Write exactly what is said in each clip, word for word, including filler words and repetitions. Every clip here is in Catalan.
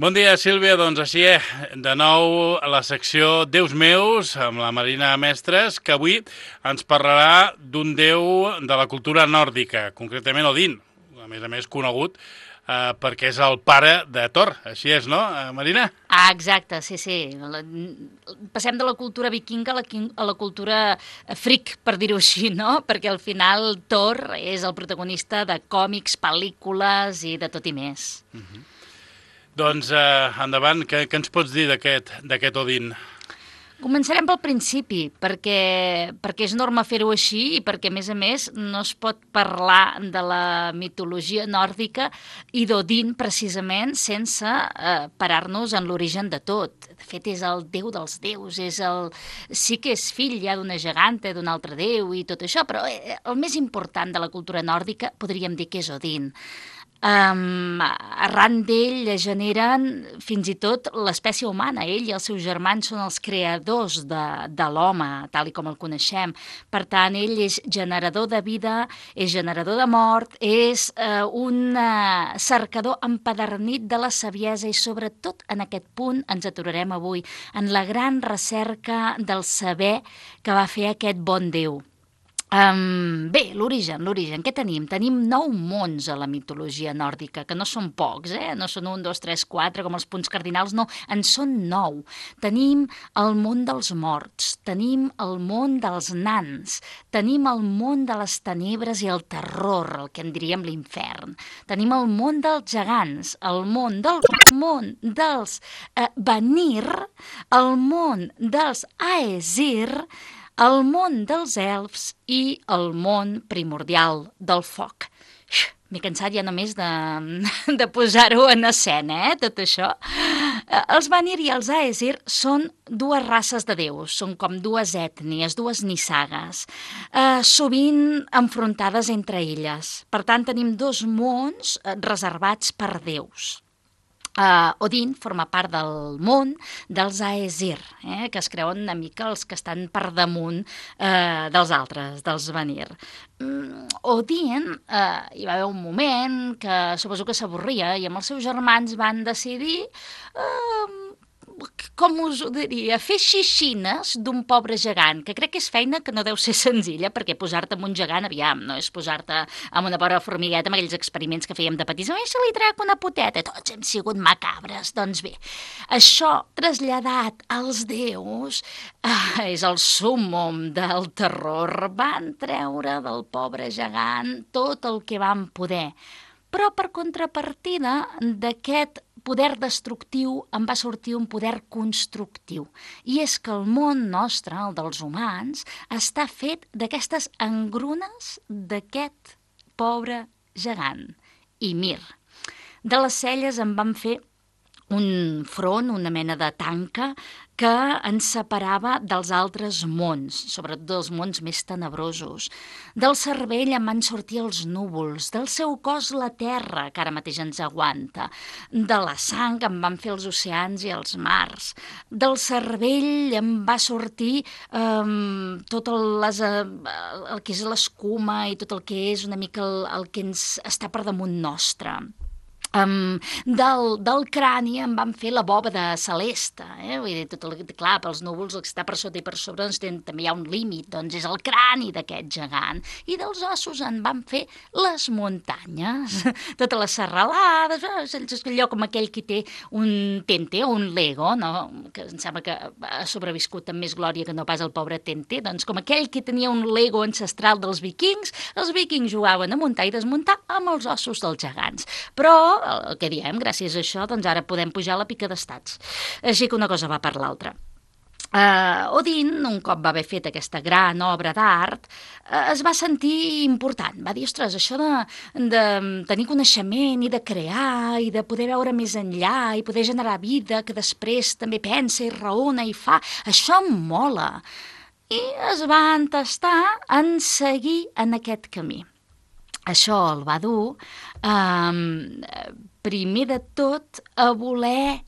Bon dia, Sílvia. Doncs així, eh, de nou a la secció Déus meus, amb la Marina Mestres, que avui ens parlarà d'un déu de la cultura nòrdica, concretament Odin, a més a més conegut eh, perquè és el pare de Thor. Així és, no, eh, Marina? Ah, exacte, sí, sí. La, passem de la cultura vikinga a la, a la cultura freak, per dir-ho així, no? Perquè al final Thor és el protagonista de còmics, pel·lícules i de tot i més. Uh-huh. Doncs eh, endavant, què, què ens pots dir d'aquest Odin? Començarem pel principi, perquè, perquè és norma fer-ho així i perquè, a més a més, no es pot parlar de la mitologia nòrdica i d'Odin, precisament, sense eh, parar-nos en l'origen de tot. De fet, és el déu dels déus, és el... sí que és fill ja d'una geganta, d'un altre déu i tot això, però el més important de la cultura nòrdica podríem dir que és Odin. Um, arran d'ell generen fins i tot l'espècie humana. Ell i els seus germans són els creadors de, de l'home, tal i com el coneixem. Per tant, ell és generador de vida, és generador de mort, és uh, un uh, cercador empadernit de la saviesa i sobretot en aquest punt ens aturarem avui, en la gran recerca del saber que va fer aquest bon déu. Um, bé, l'origen, l'origen, què tenim? Tenim nou mons a la mitologia nòrdica, que no són pocs, eh? No són un, dos, tres, quatre, com els punts cardinals, no, en són nou. Tenim el món dels morts, tenim el món dels nans, tenim el món de les tenebres i el terror, el que en diríem l'infern. Tenim el món dels gegants, el món del món dels eh, Vanir, el món dels Aesir, el món dels elfs i el món primordial del foc. M'he cansat ja només de, de posar-ho en escena, eh, tot això. Els Vanir i els Aesir són dues races de déus, són com dues ètnies, dues nissagues, eh, sovint enfrontades entre elles. Per tant, tenim dos mons reservats per déus. Uh, Odin forma part del món dels Aesir, eh, que es creuen una mica els que estan per damunt uh, dels altres, dels Vanir. Um, Odin, uh, hi va haver un moment que suposo que s'avorria i amb els seus germans van decidir... Uh, com us ho diria, fer xixines d'un pobre gegant, que crec que és feina que no deu ser senzilla, perquè posar-te amb un gegant, aviam, no és posar-te amb una pobra formigueta, amb aquells experiments que fèiem de petits, oi, se li trec una poteta, tots hem sigut macabres. Doncs bé, això traslladat als déus ah, és el súmmum del terror. Van treure del pobre gegant tot el que van poder, però per contrapartida d'aquest poder destructiu en va sortir un poder constructiu. I és que el món nostre, el dels humans, està fet d'aquestes engrunes d'aquest pobre gegant, Ymir. De les celles en van fer un front, una mena de tanca, que ens separava dels altres mons, sobretot dels mons més tenebrosos. Del cervell en van sortir els núvols, del seu cos la terra, que ara mateix ens aguanta. De la sang en van fer els oceans i els mars. Del cervell en va sortir eh, tot el, les, eh, el que és l'escuma i tot el que és una mica el, el que ens està per damunt nostre. Um, del, del crani en van fer la bòbada celeste, eh? Vull dir, tot el, clar, pels núvols el que està per sota i per sobre doncs, ten, també hi ha un límit, doncs és el crani d'aquest gegant, i dels ossos en van fer les muntanyes, totes les serralades, allò com aquell que té un tente o un lego, no? Que em sembla que ha sobreviscut amb més glòria que no pas el pobre tente, doncs com aquell que tenia un lego ancestral dels vikings, els vikings jugaven a muntar i desmuntar amb els ossos dels gegants, però el que diem, gràcies a això, doncs ara podem pujar a la pica d'estats. Així que una cosa va per l'altra. Uh, Odin, un cop va haver fet aquesta gran obra d'art, uh, es va sentir important. Va dir, ostres, això de, de tenir coneixement i de crear i de poder veure més enllà i poder generar vida que després també pensa i raona i fa, això em mola. I es va entestar en seguir en aquest camí. Això el va dur, um, primer de tot, a voler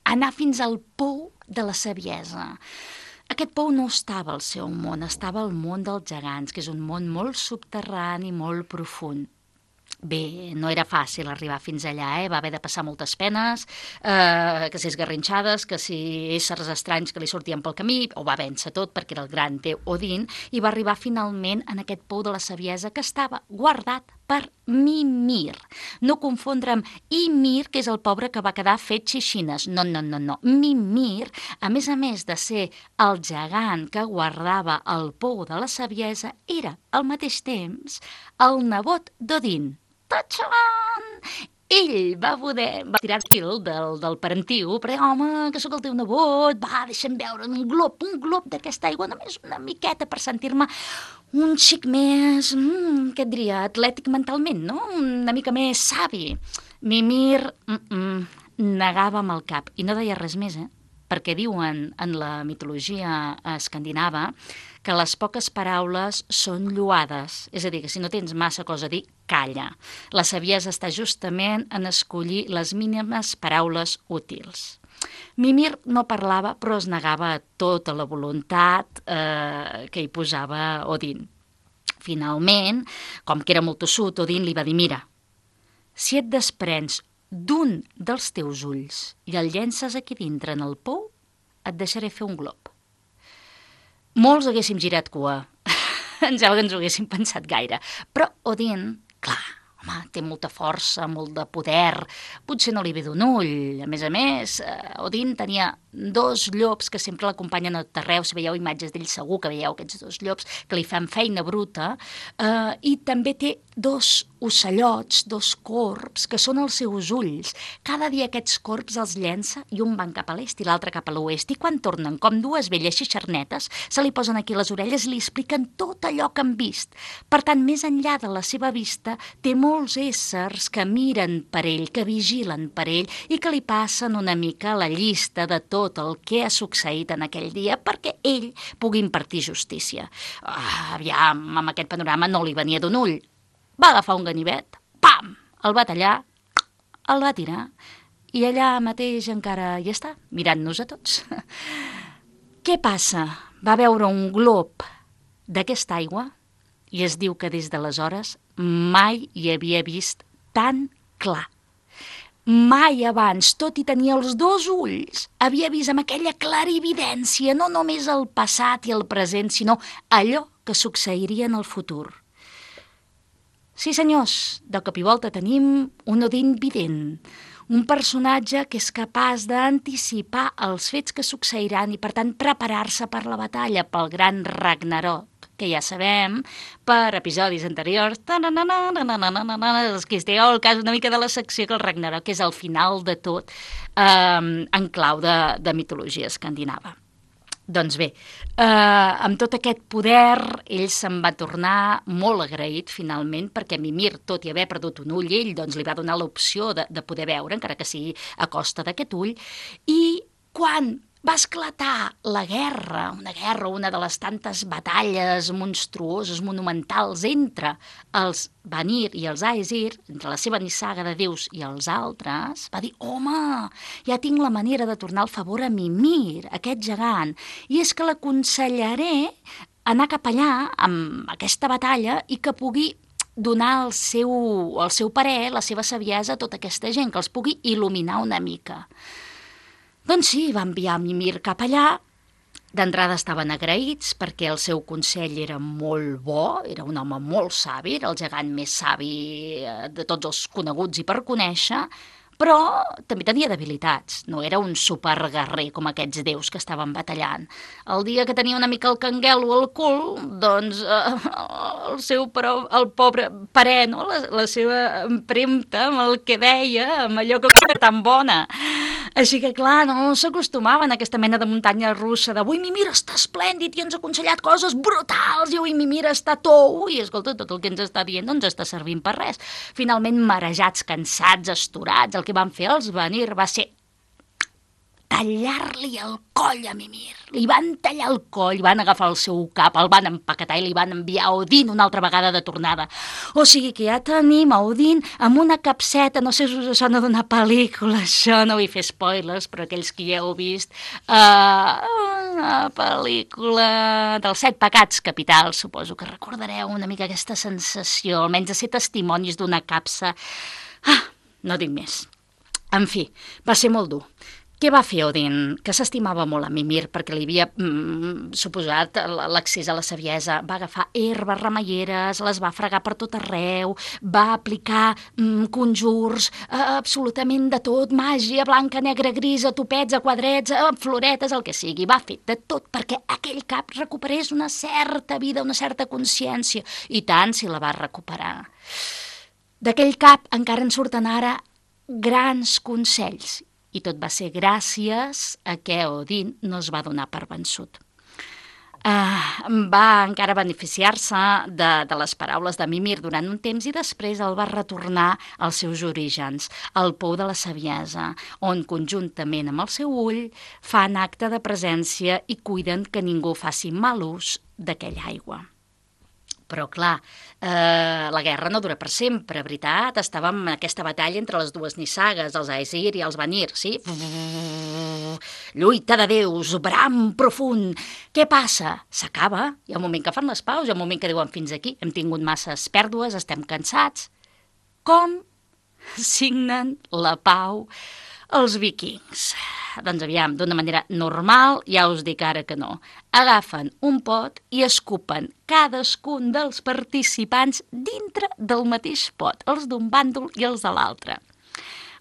anar fins al pou de la saviesa. Aquest pou no estava al seu món, estava al món dels gegants, que és un món molt subterrani, molt profund. Bé, no era fàcil arribar fins allà, eh? Va haver de passar moltes penes, eh, que si esgarrinxades, que si éssers estranys que li sortien pel camí, ho va vèncer tot perquè era el gran déu Odin, i va arribar finalment en aquest pou de la saviesa que estava guardat per Mimir. No confondre amb Ymir, que és el pobre que va quedar fet xixines. No, no, no, no. Mimir, a més a més de ser el gegant que guardava el pou de la saviesa, era al mateix temps el nebot d'Odin. Tachan! Ell va poder va tirar fil del, del parentiu, però home, que sóc el teu nebot, va, deixa'm veure un glob, un glob d'aquesta aigua, només una miqueta per sentir-me un xic més, mm, què et diria, atlètic mentalment, no? Una mica més savi. Mimir mm -mm, negava amb el cap i no deia res més, eh? Perquè diuen en la mitologia escandinava que les poques paraules són lloades, és a dir, que si no tens massa cosa a dir, calla. La saviesa està justament en escollir les mínimes paraules útils. Mimir no parlava, però es negava a tota la voluntat eh, que hi posava Odin. Finalment, com que era molt tossut, Odin li va dir, mira, si et desprens d'un dels teus ulls i el llences aquí dintre en el pou, et deixaré fer un glob. Molts haguéssim girat cua. Em sembla que ens ho haguéssim pensat gaire. Però Odin, clar, home, té molta força, molt de poder, potser no li ve d'un ull. A més a més, Odin tenia dos llops que sempre l'acompanyen a tot arreu. Si veieu imatges d'ell, segur que veieu aquests dos llops que li fan feina bruta. Eh, I també té dos ocellots, dos corbs, que són els seus ulls. Cada dia aquests corbs els llença i un van cap a l'est i l'altre cap a l'oest. I quan tornen, com dues velles xixarnetes, se li posen aquí les orelles i li expliquen tot allò que han vist. Per tant, més enllà de la seva vista, té molts éssers que miren per ell, que vigilen per ell i que li passen una mica la llista de tot el que ha succeït en aquell dia perquè ell pugui impartir justícia. Ah, aviam, amb aquest panorama no li venia d'un ull. Va agafar un ganivet, pam, el va tallar, el va tirar i allà mateix encara hi està, mirant-nos a tots. Què passa? Va veure un glob d'aquesta aigua i es diu que des d'aleshores mai hi havia vist tan clar. Mai abans, tot i tenir els dos ulls, havia vist amb aquella clarividència no només el passat i el present, sinó allò que succeiria en el futur. Sí, senyors, de cop i volta tenim un Odin vident, un personatge que és capaç d'anticipar els fets que succeiran i, per tant, preparar-se per la batalla, pel gran Ragnarok, que ja sabem, per episodis anteriors, els que estigueu al cas una mica de la secció, que el Ragnarok és el final de tot eh, en clau de, de mitologia escandinava. Doncs bé, eh, amb tot aquest poder, ell se'n va tornar molt agraït, finalment, perquè Mimir, tot i haver perdut un ull, ell doncs, li va donar l'opció de, de poder veure, encara que sigui a costa d'aquest ull, i quan va esclatar la guerra, una guerra, una de les tantes batalles monstruoses, monumentals, entre els Vanir i els Aesir, entre la seva nissaga de déus i els altres, va dir, home, ja tinc la manera de tornar el favor a Mimir, aquest gegant, i és que l'aconsellaré anar cap allà amb aquesta batalla i que pugui donar el seu, el seu parer, la seva saviesa a tota aquesta gent, que els pugui il·luminar una mica. Doncs sí, va enviar Mimir cap allà. D'entrada estaven agraïts perquè el seu consell era molt bo, era un home molt savi, era el gegant més savi de tots els coneguts i per conèixer, però també tenia debilitats. No era un superguerrer com aquests déus que estaven batallant. El dia que tenia una mica el canguelo al cul, doncs eh, el seu però, el pobre parer, no? la, la seva empremta amb el que deia, amb allò que era tan bona. Així que, clar, no s'acostumaven a aquesta mena de muntanya russa de «Ui, Mimir està esplèndid i ens ha aconsellat coses brutals i ui, Mimir està tou» i, escolta, tot el que ens està dient no ens està servint per res. Finalment, marejats, cansats, astorats, el que van fer els Vanir va ser tallar-li el coll a Mimir. Li van tallar el coll, van agafar el seu cap, el van empaquetar i li van enviar a Odin una altra vegada de tornada. O sigui que ja tenim a Odin amb una capseta, no sé si us sona d'una pel·lícula, això no vull fer spoilers, però aquells que ja heu vist, uh, una pel·lícula dels set pecats capitals, suposo que recordareu una mica aquesta sensació, almenys de ser testimonis d'una capsa. Ah, no dic més. En fi, va ser molt dur. Què va fer Odin? Que s'estimava molt a Mimir perquè li havia mm, suposat l'accés a la saviesa. Va agafar herbes remeieres, les va fregar per tot arreu, va aplicar mm, conjurs, eh, absolutament de tot, màgia, blanca, negra, grisa, topets, a quadrets, eh, floretes, el que sigui. Va fer de tot perquè aquell cap recuperés una certa vida, una certa consciència. I tant si la va recuperar. D'aquell cap encara en surten ara grans consells, i tot va ser gràcies a que Odin no es va donar per vençut. Uh, va encara beneficiar-se de, de les paraules de Mimir durant un temps i després el va retornar als seus orígens, al pou de la saviesa, on conjuntament amb el seu ull fan acte de presència i cuiden que ningú faci mal ús d'aquella aigua. Però, clar, eh, la guerra no dura per sempre, veritat? Estàvem en aquesta batalla entre les dues nissagues, els Aesir i els Vanir, sí? Lluita de déus, bram profund. Què passa? S'acaba. Hi ha un moment que fan les paus, hi ha un moment que diuen fins aquí. Hem tingut masses pèrdues, estem cansats. Com signen la pau els vikings? Doncs aviam, d'una manera normal, ja us dic ara que no. Agafen un pot i escupen cadascun dels participants dintre del mateix pot, els d'un bàndol i els de l'altre.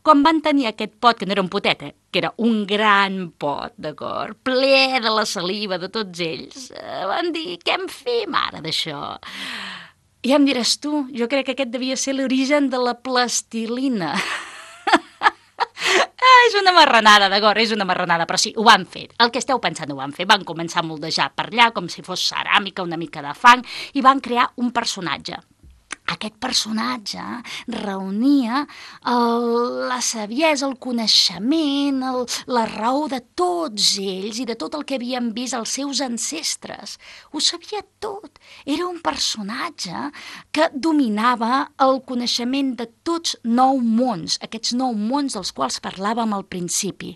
Quan van tenir aquest pot, que no era un potet, eh? Que era un gran pot, d'acord, ple de la saliva de tots ells, van dir, què en fem ara d'això? I em diràs tu, jo crec que aquest devia ser l'origen de la plastilina. És una marranada, d'acord, és una marranada, però sí, ho van fer. El que esteu pensant ho van fer. Van començar a moldejar per allà com si fos ceràmica, una mica de fang, i van crear un personatge. Aquest personatge reunia el, la saviesa, el coneixement, el, la raó de tots ells i de tot el que havien vist els seus ancestres. Ho sabia tot. Era un personatge que dominava el coneixement de tots nou mons, aquests nou mons dels quals parlàvem al principi,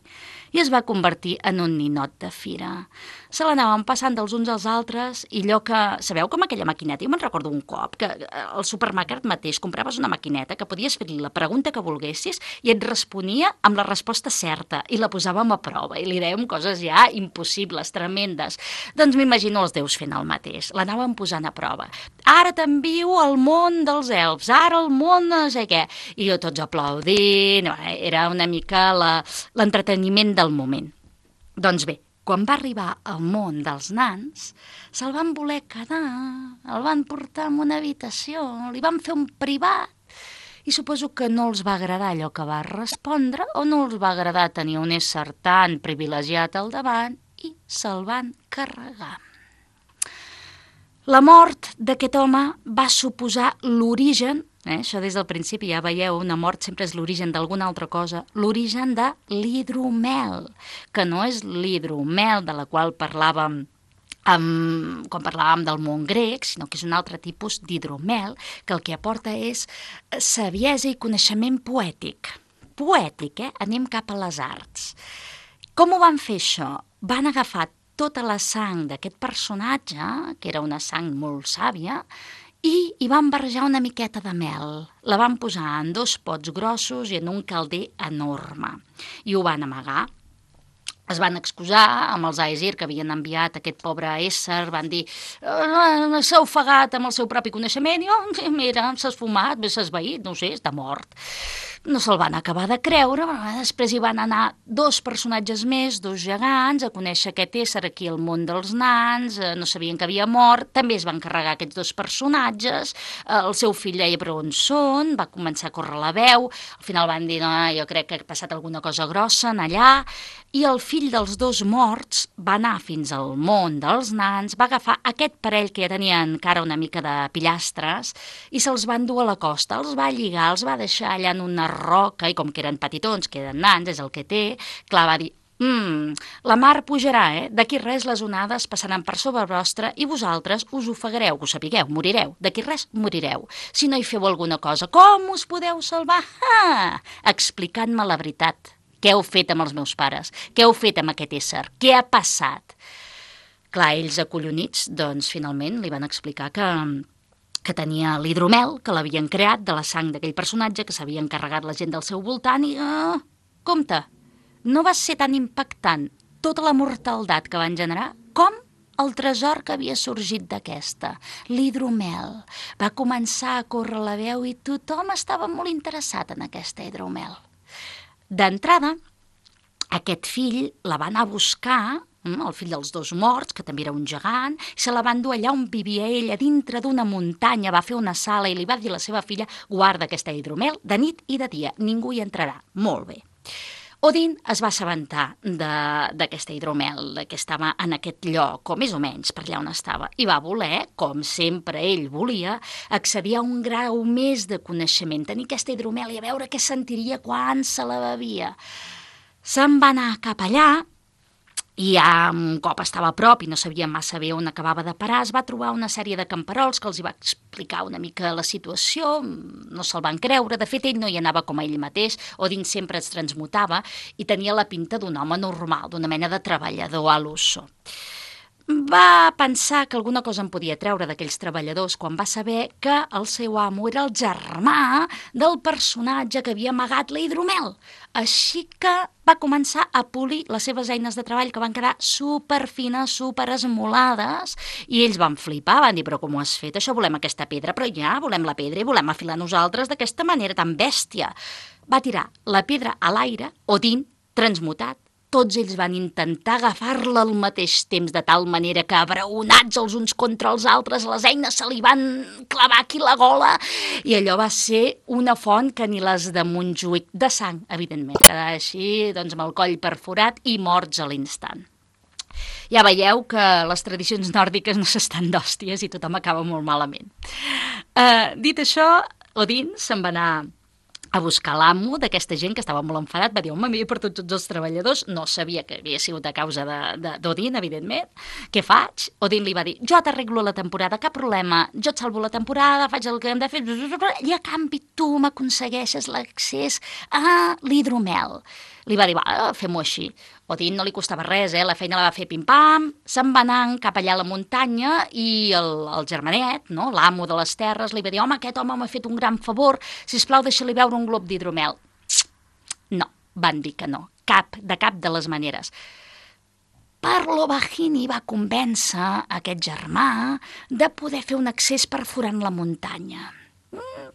i es va convertir en un ninot de fira. Se l'anaven passant dels uns als altres i allò que... Sabeu com aquella maquineta? Jo me'n recordo un cop que al supermercat mateix compraves una maquineta que podies fer-li la pregunta que volguessis i et responia amb la resposta certa i la posàvem a prova i li dèiem coses ja impossibles, tremendes. Doncs m'imagino els déus fent el mateix. L'anàvem posant a prova. Ara t'envio al món dels elfs, ara al món no sé què. I jo tots aplaudint, era una mica l'entreteniment del moment. Doncs bé, quan va arribar al món dels nans, se'l van voler quedar, el van portar en una habitació, li van fer un privat, i suposo que no els va agradar allò que va respondre o no els va agradar tenir un ésser tan privilegiat al davant i se'l van carregar. La mort d'aquest home va suposar l'origen, eh, això des del principi ja veieu, una mort sempre és l'origen d'alguna altra cosa, l'origen de l'hidromel, que no és l'hidromel de la qual parlàvem Um, quan parlàvem del món grec, sinó que és un altre tipus d'hidromel que el que aporta és saviesa i coneixement poètic. Poètic, eh? Anem cap a les arts. Com ho van fer això? Van agafar tota la sang d'aquest personatge, que era una sang molt sàvia, i hi van barrejar una miqueta de mel. La van posar en dos pots grossos i en un calder enorme. I ho van amagar. Es van excusar amb els Aesir que havien enviat aquest pobre ésser, van dir eh, s'ha ofegat amb el seu propi coneixement i oh, mira, s'ha esfumat, s'ha esvaït, no sé, està mort. No se'l van acabar de creure, després hi van anar dos personatges més, dos gegants, a conèixer aquest ésser aquí al món dels nans, no sabien que havia mort, també es van carregar aquests dos personatges, el seu fill deia però on són, va començar a córrer la veu, al final van dir no, jo crec que ha passat alguna cosa grossa en allà, i el fill dels dos morts va anar fins al món dels nans, va agafar aquest parell que ja tenien encara una mica de pillastres i se'ls van dur a la costa, els va lligar, els va deixar allà en una roca i com que eren petitons, que eren nans, és el que té, clar, va dir, Mm, la mar pujarà, eh? D'aquí res les onades passaran per sobre vostre i vosaltres us ofegareu, que ho sapigueu, morireu. D'aquí res morireu. Si no hi feu alguna cosa, com us podeu salvar? Ah, explicant-me la veritat. Què heu fet amb els meus pares? Què heu fet amb aquest ésser? Què ha passat? Clar, ells acollonits, doncs finalment li van explicar que que tenia l'hidromel, que l'havien creat de la sang d'aquell personatge, que s'havia encarregat la gent del seu voltant i... Uh, compte, no va ser tan impactant tota la mortaldat que van generar com el tresor que havia sorgit d'aquesta, l'hidromel. Va començar a córrer la veu i tothom estava molt interessat en aquesta hidromel. D'entrada, aquest fill la va anar a buscar, el fill dels dos morts, que també era un gegant, i se la va endur allà on vivia ella, dintre d'una muntanya, va fer una sala i li va dir a la seva filla, guarda aquesta hidromel de nit i de dia, ningú hi entrarà. Molt bé. Odin es va assabentar d'aquesta hidromel, que estava en aquest lloc, o més o menys per allà on estava, i va voler, com sempre ell volia, accedir a un grau més de coneixement, tenir aquesta hidromel i a veure què sentiria quan se la bevia. Se'n va anar cap allà, i ja un cop estava a prop i no sabia massa bé on acabava de parar, es va trobar una sèrie de camperols que els hi va explicar una mica la situació, no se'l van creure, de fet ell no hi anava com a ell mateix, Odin sempre es transmutava i tenia la pinta d'un home normal, d'una mena de treballador a l'uso. Va pensar que alguna cosa en podia treure d'aquells treballadors quan va saber que el seu amo era el germà del personatge que havia amagat la hidromel. Així que va començar a polir les seves eines de treball que van quedar superfines, superesmolades, i ells van flipar, van dir, però com ho has fet? Això volem aquesta pedra, però ja volem la pedra i volem afilar nosaltres d'aquesta manera tan bèstia. Va tirar la pedra a l'aire, Odin, transmutat. Tots ells van intentar agafar-la al mateix temps, de tal manera que, abraonats els uns contra els altres, les eines se li van clavar aquí la gola, i allò va ser una font que ni les de Montjuïc, de sang, evidentment. Quedar així, doncs, amb el coll perforat i morts a l'instant. Ja veieu que les tradicions nòrdiques no s'estan d'hòsties i tothom acaba molt malament. Uh, dit això, Odin se'n va anar a buscar l'amo d'aquesta gent que estava molt enfadat, va dir, home, m'he perdut tots els treballadors, no sabia que havia sigut a causa d'Odin, evidentment, què faig? Odin li va dir, jo t'arreglo la temporada, cap problema, jo et salvo la temporada, faig el que hem de fer, i a canvi tu m'aconsegueixes l'accés a l'hidromel. Li va dir, va, fem-ho així. Odin no li costava res, eh? La feina la va fer pim-pam, se'n va anar cap allà a la muntanya i el, el germanet, no? L'amo de les terres, li va dir, home, aquest home m'ha fet un gran favor, sisplau, deixa-li veure un glob d'hidromel. No, van dir que no, cap, de cap de les maneres. Parlovagini va convèncer aquest germà de poder fer un accés perforant la muntanya.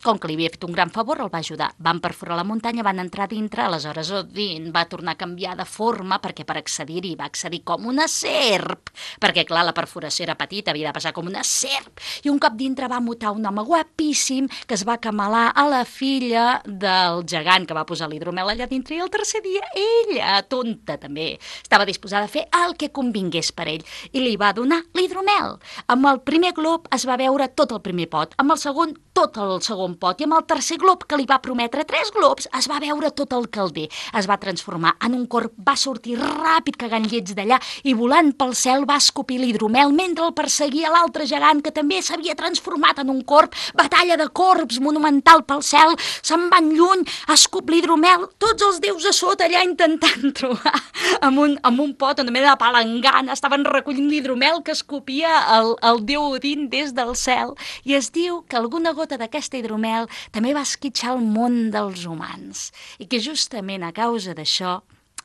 Com que li havia fet un gran favor, el va ajudar. Van perforar la muntanya, van entrar dintre, aleshores Odin va tornar a canviar de forma perquè per accedir-hi va accedir com una serp, perquè clar, la perforació era petita, havia de passar com una serp, i un cop dintre va mutar un home guapíssim que es va camalar a la filla del gegant que va posar l'hidromel allà dintre, i el tercer dia ella, tonta també, estava disposada a fer el que convingués per ell, i li va donar l'hidromel. Amb el primer glob es va veure tot el primer pot, amb el segon tot el segon pot, i amb el tercer glob que li va prometre tres globs es va veure tot el calder, es va transformar en un corb, va sortir ràpid cagant llets d'allà i volant pel cel va escopir l'hidromel mentre el perseguia l'altre gegant que també s'havia transformat en un corb. Batalla de corbs monumental pel cel, se'n van lluny, escup l'hidromel, tots els déus a sota allà intentant trobar amb un, amb un pot, una mena de palangana, estaven recollint l'hidromel que escopia el, el déu Odin des del cel, i es diu que alguna gota d'aquesta hidromel també va esquitxar el món dels humans i que justament a causa d'això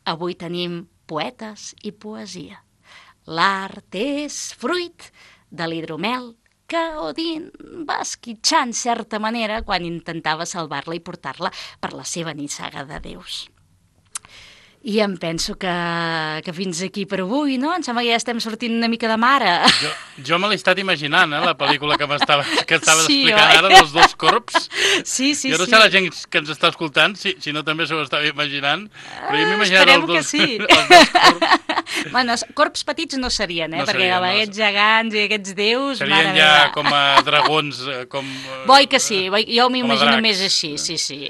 avui tenim poetes i poesia. L'art és fruit de l'hidromel que Odin va esquitxar en certa manera quan intentava salvar-la i portar-la per la seva nissaga de déus. I em penso que, que fins aquí per avui, no? Em sembla que ja estem sortint una mica de mare. Jo, jo me l'he estat imaginant, eh, la pel·lícula que m'estaves que estaves sí, explicant oi? ara dels dos corps. Sí, sí, jo no sí. sé la gent que ens està escoltant, si, si no també s'ho estava imaginant, però jo m'he imaginat Esperem els dos, que sí. els dos corps. Bueno, corps petits no serien, eh? No Perquè serien, amb no. aquests gegants i aquests déus... Serien mare ja meva. com a dragons, com... Boi que sí, boi, jo com a m'imagino dracs. més així, sí, sí.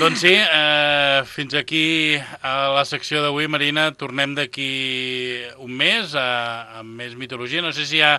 Doncs sí, eh, fins aquí a la secció d'avui, Marina. Tornem d'aquí un mes a, amb més mitologia. No sé si ja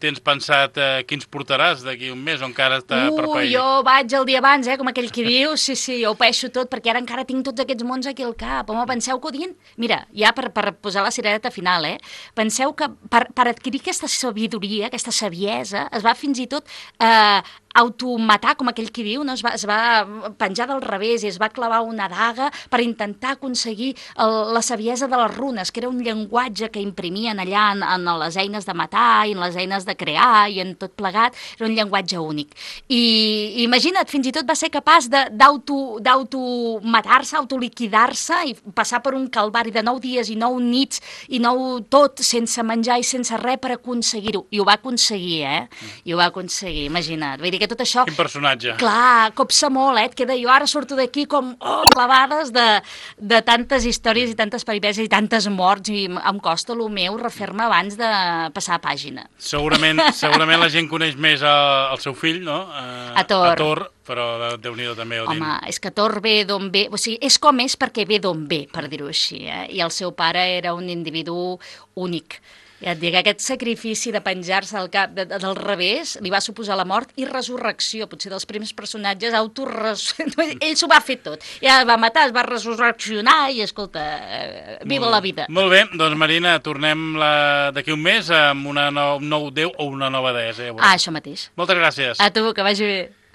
tens pensat eh, quins portaràs d'aquí un mes o encara està per Uh, pair. jo vaig el dia abans, eh, com aquell que diu, sí, sí, jo ho peixo tot, perquè ara encara tinc tots aquests mons aquí al cap. Home, penseu que Odin... Mira, ja per, per posar la cirereta final, eh, penseu que per, per adquirir aquesta sabidoria, aquesta saviesa, es va fins i tot eh, automatar, com aquell que diu, no? es, va, es va penjar del revés i es va clavar una daga per intentar aconseguir el, la saviesa de les runes, que era un llenguatge que imprimien allà en, en les eines de matar i en les eines de crear i en tot plegat, era un llenguatge únic. I imagina't, fins i tot va ser capaç d'auto-matar-se, autoliquidar-se i passar per un calvari de nou dies i nou nits i nou tot sense menjar i sense res per aconseguir-ho. I ho va aconseguir, eh? I ho va aconseguir, imagina't. Vull dir que tot això... Quin personatge. Clar, copsa molt, eh? Et queda jo ara surto d'aquí com oh, clavades de, de tantes històries i tantes peripècies i tantes morts i em costa el meu refer-me abans de passar a pàgina. Segurament, segurament la gent coneix més el, el seu fill, no? Eh, A Thor. A Thor, però Déu-n'hi-do també Odin. Home, és que Thor ve d'on ve, o sigui, és com és perquè ve d'on ve, per dir-ho així, eh? I el seu pare era un individu únic. Ja et dic, aquest sacrifici de penjar-se al cap de, de, del revés li va suposar la mort i resurrecció, potser dels primers personatges autorres... Ell s'ho va fer tot. Ja va matar, es va resurreccionar i, escolta, eh, viva la vida. Molt bé, doncs Marina, tornem la... d'aquí un mes amb una no... un nou déu o una nova deessa. Ja ah, això mateix. Moltes gràcies. A tu, que vagi bé.